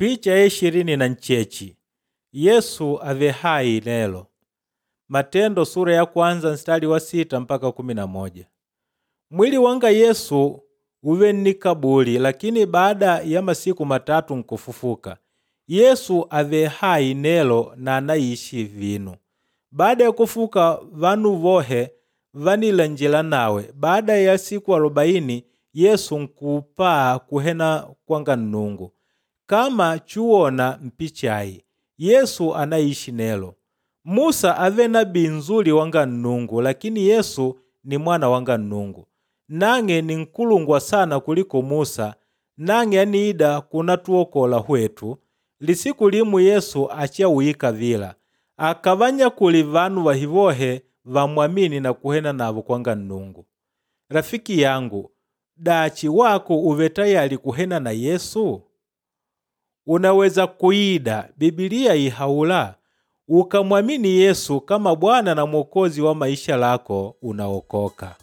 Picha ya 28 Yesu ave hai lelo. Matendo sura ya kwanza mstari wa 6 mpaka 11. Mwili wanga Yesu uve ni kaburi lakini baada ya masiku matatu nkufufuka. Yesu ave hai nelo na anaishi vinu. Baada ya kufuka vanu vohe vanilanjila nawe. Baada ya siku 40 Yesu nkupaa kuhena kwanga Nnungu. Kama chuwona mpichayi, Yesu anaishi nelo. Musa ave nabii nzuri wanga Nnungu lakini Yesu ni mwana wanga Nnungu. Nang'e ni nkulungwa sana kuliko Musa, nang'e aniida kunatuokola hwetu. Lisiku limu Yesu achawika vila. Akavanyakuli vanu vahivohe vamwamini na kuhena navo kwanga Nnungu. Rafiki yangu, dachi wako uve tayali kuhena na Yesu? Unaweza kuida, Biblia ihaula, ukamwamini Yesu kama Bwana na Mwokozi wa maisha lako unaokoka.